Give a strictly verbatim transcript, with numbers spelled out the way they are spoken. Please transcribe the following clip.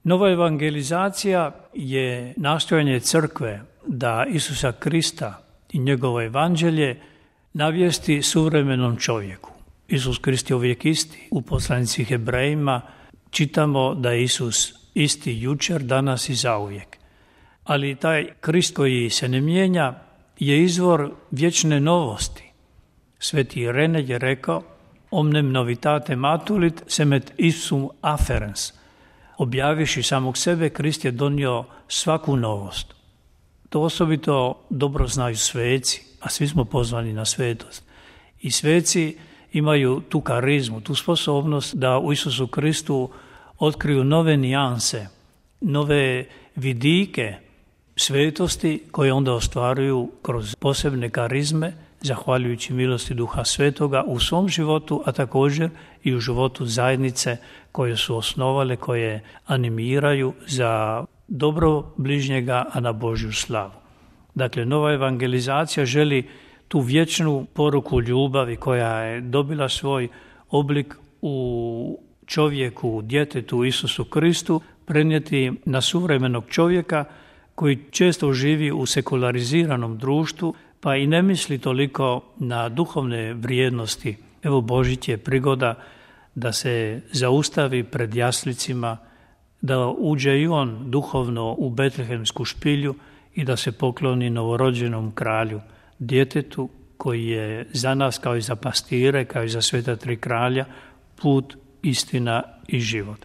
Nova evangelizacija je nastojanje crkve da Isusa Krista i njegovo evanđelje navijesti suvremenom čovjeku. Isus Krist je uvijek isti. U poslanici Hebrejima čitamo da je Isus isti jučer, danas i zauvijek. Ali taj Krist koji se ne mijenja je izvor vječne novosti. Sveti Rene je rekao: omnem novitate matulit semet ipsum afferens. Objavivši samog sebe, Krist je donio svaku novost. To osobito dobro znaju sveci, a svi smo pozvani na svetost. I sveci imaju tu karizmu, tu sposobnost da u Isusu Kristu otkriju nove nijanse, nove vidike svetosti koje onda ostvaruju kroz posebne karizme, zahvaljujući milosti Duha Svetoga u svom životu, a također i u životu zajednice koje su osnovale, koje animiraju za dobro bližnjega, a na Božju slavu. Dakle, nova evangelizacija želi tu vječnu poruku ljubavi koja je dobila svoj oblik u čovjeku, u djetetu Isusu Kristu, prenijeti na suvremenog čovjeka koji često živi u sekulariziranom društvu, pa i ne misli toliko na duhovne vrijednosti. Evo, Božić je prigoda da se zaustavi pred jaslicima, da uđe i on duhovno u betlehemsku špilju i da se pokloni novorođenom kralju, djetetu koji je za nas, kao i za pastire, kao i za sveta tri kralja, put, istina i život.